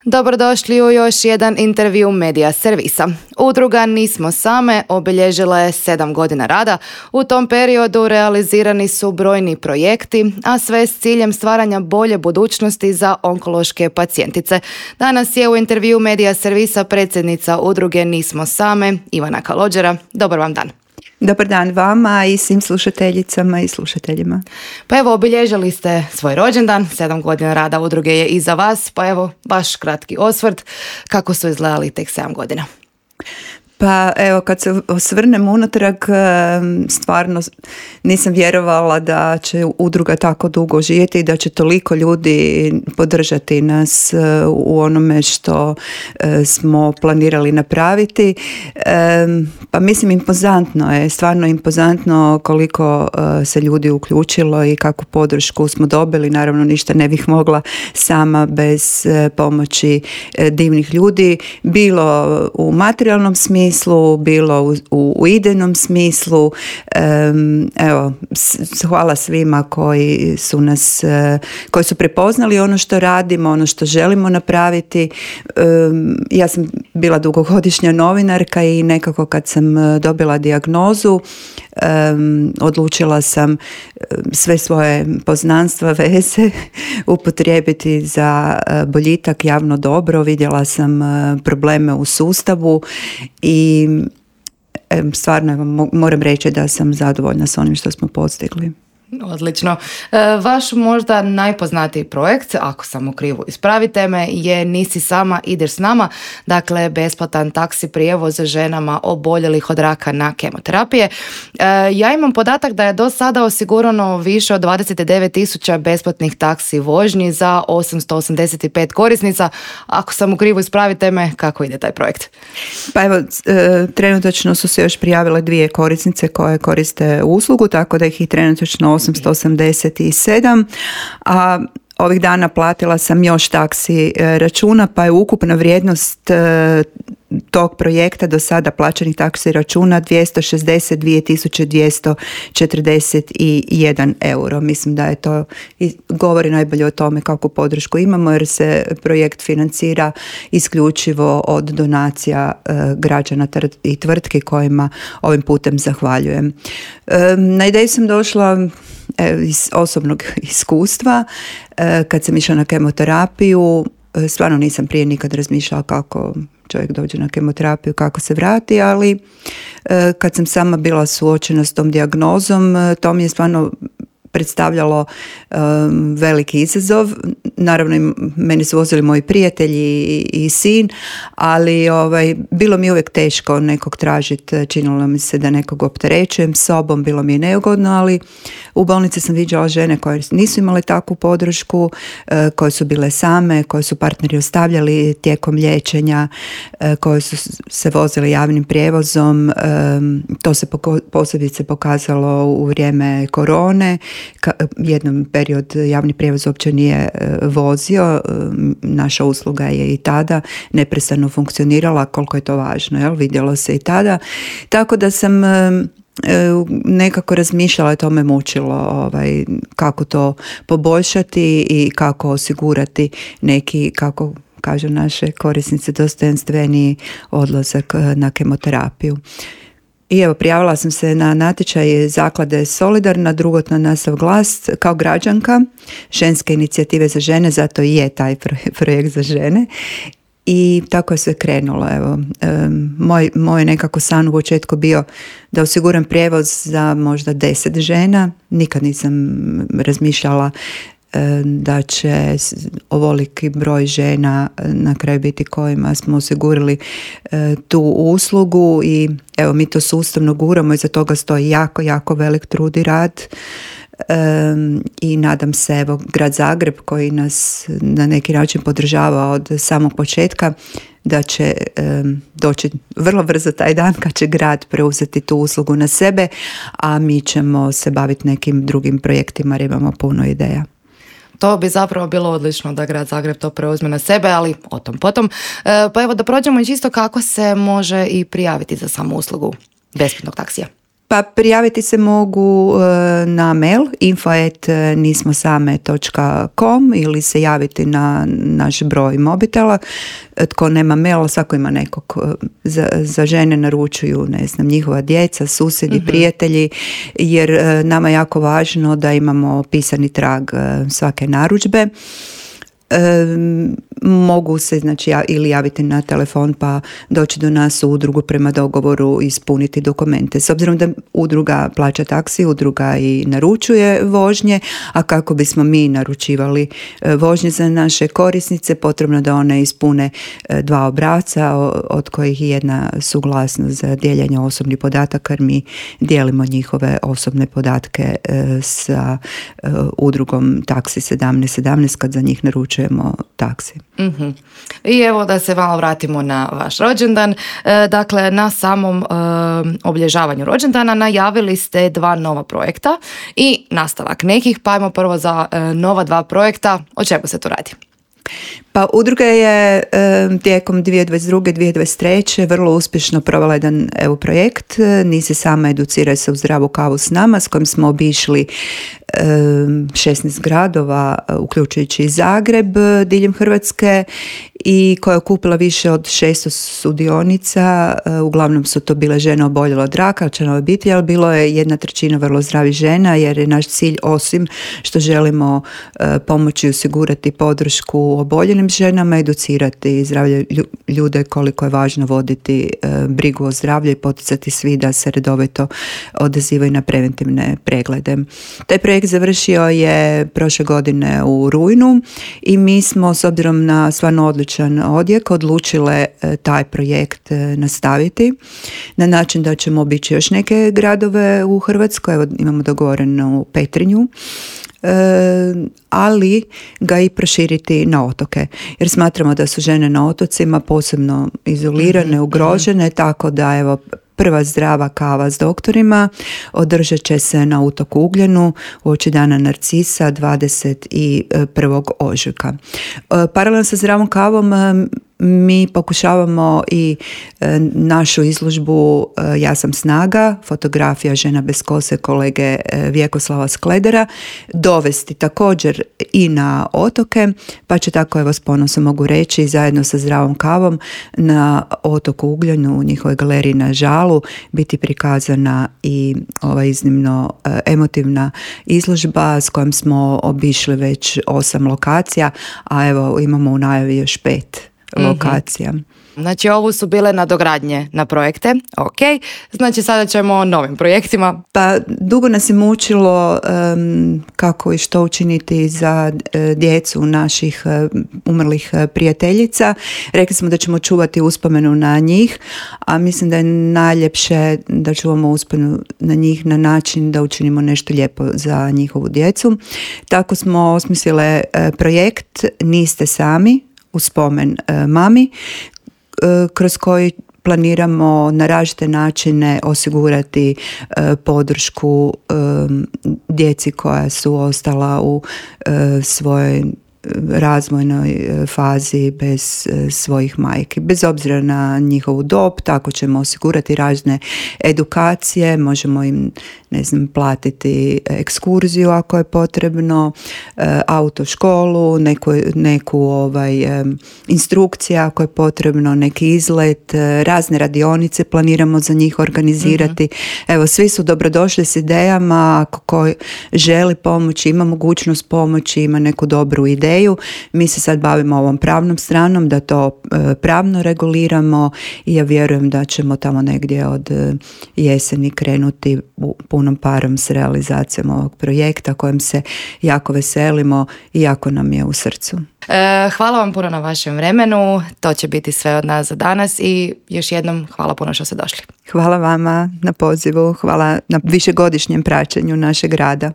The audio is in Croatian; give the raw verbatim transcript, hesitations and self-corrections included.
Dobrodošli u još jedan intervju Medija servisa. Udruga Nismo same obilježila je sedam godina rada. U tom periodu realizirani su brojni projekti, a sve s ciljem stvaranja bolje budućnosti za onkološke pacijentice. Danas je u intervju Medija servisa predsjednica udruge Nismo same, Ivana Kalođera. Dobar vam dan. Dobar dan vama i svim slušateljicama i slušateljima. Pa evo, obilježili ste svoj rođendan, sedam godina rada udruge je iza vas, pa evo, vaš kratki osvrt, kako su izgledali tek sedam godina? Pa evo, kad se osvrnem unatrag, stvarno nisam vjerovala da će udruga tako dugo živjeti i da će toliko ljudi podržati nas u onome što smo planirali napraviti. Pa mislim, impozantno je, stvarno impozantno koliko se ljudi uključilo i kakvu podršku smo dobili. Naravno, ništa ne bih mogla sama bez pomoći divnih ljudi, bilo u materijalnom smislu, bilo u, u, u idejnom smislu. Um, evo, s, hvala svima koji su nas, uh, koji su prepoznali ono što radimo, ono što želimo napraviti. Um, ja sam bila dugogodišnja novinarka i nekako kad sam dobila dijagnozu, Um, odlučila sam sve svoje poznanstva, veze upotrijebiti za boljitak, javno dobro. Vidjela sam probleme u sustavu i stvarno moram reći da sam zadovoljna s onim što smo postigli. Odlično. Vaš možda najpoznatiji projekt, ako sam u krivu ispravite me, je Nisi sama, ideš s nama. Dakle, besplatan taksi prijevoz ženama oboljelih od raka na kemoterapije. Ja imam podatak da je do sada osigurano više od dvadeset devet tisuća besplatnih taksi vožnji za osamsto osamdeset pet korisnica. Ako sam u krivu ispravite me, kako ide taj projekt? Pa evo, trenutačno su se još prijavile dvije korisnice koje koriste uslugu, tako da ih je trenutačno osamsto osamdeset sedam, a ovih dana platila sam još taksi računa, pa je ukupna vrijednost tog projekta do sada plaćenih taksi računa dvjesto šezdeset dvije tisuće dvjesto četrdeset jedan euro. Mislim da je to, govori najbolje o tome kakvu podršku imamo, jer se projekt financira isključivo od donacija građana i tvrtki kojima ovim putem zahvaljujem. Na ideju sam došla iz osobnog iskustva. Kad sam išla na kemoterapiju, stvarno nisam prije nikad razmišljala kako čovjek dođe na kemoterapiju, kako se vrati, ali kad sam sama bila suočena s tom dijagnozom, to mi je stvarno predstavljalo um, veliki izazov. Naravno, meni su vozili moji prijatelji i, i sin, ali ovaj, bilo mi uvijek teško nekog tražiti, činilo mi se da nekog opterećujem sobom, bilo mi je neugodno, ali u bolnici sam viđala žene koje nisu imale takvu podršku, e, koje su bile same, koje su partneri ostavljali tijekom liječenja, e, koje su se vozile javnim prijevozom. E, to se poko- posebice pokazalo u vrijeme korone. Ka- jednom period javni prijevoz uopće nije e, vozio. E, naša usluga je i tada neprestano funkcionirala, koliko je to važno, jel? Vidjelo se i tada. Tako da sam e, nekako razmišljala, to me mučilo, ovaj, kako to poboljšati i kako osigurati neki, kako kažu naše korisnice, dostojanstveniji odlazak na kemoterapiju. I evo, prijavila sam se na natječaj zaklade Solidarna, drugotna nastav glas, kao građanka ženske inicijative za žene, zato i je taj projekt za žene. I tako je sve krenulo. Evo, um, moj, moj nekako san u početku bio da osiguram prijevoz za možda deset žena. Nikad nisam razmišljala um, da će ovoliki broj žena na kraju biti kojima smo osigurali uh, tu uslugu i evo, mi to sustavno guramo i za toga stoji jako, jako velik trud i rad. Um, i nadam se, evo, grad Zagreb koji nas na neki način podržava od samog početka, da će um, doći vrlo brzo taj dan kad će grad preuzeti tu uslugu na sebe, a mi ćemo se baviti nekim drugim projektima jer imamo puno ideja. To bi zapravo bilo odlično da grad Zagreb to preuzme na sebe, ali o tom potom. E, pa evo, da prođemo i čisto kako se može i prijaviti za samu uslugu besplatnog taksija. Pa prijaviti se mogu na mail info at nismosame točka com ili se javiti na naš broj mobitela. Tko nema mail, svako ima nekog. Za, za žene naručuju, ne znam, njihova djeca, susjedi, uh-huh. prijatelji, jer nama je jako važno da imamo pisani trag svake narudžbe. E, mogu se znači ili javiti na telefon pa doći do nas u udrugu prema dogovoru i ispuniti dokumente. S obzirom da udruga plaća taksi, udruga i naručuje vožnje, a kako bismo mi naručivali vožnje za naše korisnice, potrebno da one ispune dva obrasca od kojih je jedna suglasnost za dijeljenje osobnih podataka, jer mi dijelimo njihove osobne podatke sa udrugom taksi sedamnaest sedamnaest kad za njih naručuje taksi. Mm-hmm. I evo da se malo vratimo na vaš rođendan. E, dakle, na samom e, obilježavanju rođendana najavili ste dva nova projekta i nastavak nekih, pa ajmo prvo za e, nova dva projekta. O čemu se tu radi? Pa udruga je e, tijekom dvije tisuće dvadeset druge. dvije tisuće dvadeset treće. vrlo uspješno provela jedan evo projekt. Nisi sama educiraj se u zdravu kavu s nama, s kojim smo obišli e, šesnaest gradova, uključujući i Zagreb diljem Hrvatske, i koja je okupila više od šesto sudionica. E, uglavnom su to bile žene oboljele od raka, članove obitelji, ali bilo je jedna trećina vrlo zdravih žena, jer je naš cilj, osim što želimo e, pomoći i osigurati podršku oboljelim ženama, educirati zdravlje ljude koliko je važno voditi e, brigu o zdravlju i poticati svi da se redovito odazivaju na preventivne preglede. Taj projekt završio je prošle godine u rujnu i mi smo, s obzirom na stvarno odličan odjek, odlučile e, taj projekt e, nastaviti na način da ćemo obići još neke gradove u Hrvatskoj. Evo, imamo dogovorenu Petrinju. E, ali ga i proširiti na otoke, jer smatramo da su žene na otocima posebno izolirane, mm-hmm. ugrožene, tako da evo prva zdrava kava s doktorima održat će se na otoku Ugljenu uoči dana Narcisa dvadeset prvog ožujka. Paralelno sa zdravom kavom mi pokušavamo i e, našu izložbu e, Ja sam snaga, fotografija žena bez kose kolege e, Vjekoslava Skledera, dovesti također i na otoke, pa će tako, evo s ponosom mogu reći, zajedno sa zdravom kavom na otoku Ugljenu u njihovoj galeriji na Žalu biti prikazana i ova iznimno e, emotivna izložba s kojom smo obišli već osam lokacija, a evo imamo u najavi još pet lokacija. Mm-hmm. Znači ovo su bile nadogradnje na projekte, ok, znači sada ćemo o novim projektima. Pa dugo nas je mučilo um, kako i što učiniti za uh, djecu naših uh, umrlih uh, prijateljica. Rekli smo da ćemo čuvati uspomenu na njih, a mislim da je najljepše da čuvamo uspomenu na njih na način da učinimo nešto lijepo za njihovu djecu. Tako smo osmislile uh, projekt Niste sami, u spomen e, mami, e, kroz koji planiramo na različite načine osigurati e, podršku e, djeci koja su ostala u e, svojoj razvojnoj fazi bez svojih majki. Bez obzira na njihovu dob, tako ćemo osigurati razne edukacije, možemo im, ne znam, platiti ekskurziju ako je potrebno, autoškolu, neku, neku ovaj, instrukcija ako je potrebno, neki izlet, razne radionice planiramo za njih organizirati. Mm-hmm. Evo, svi su dobrodošli s idejama, ako ko želi pomoći, ima mogućnost pomoći, ima neku dobru ideju. Mi se sad bavimo ovom pravnom stranom, da to e, pravno reguliramo i ja vjerujem da ćemo tamo negdje od e, jeseni krenuti u punom parom s realizacijom ovog projekta kojem se jako veselimo i jako nam je u srcu. E, hvala vam puno na vašem vremenu, to će biti sve od nas za danas i još jednom hvala puno što ste došli. Hvala vama na pozivu, hvala na višegodišnjem praćenju našeg rada.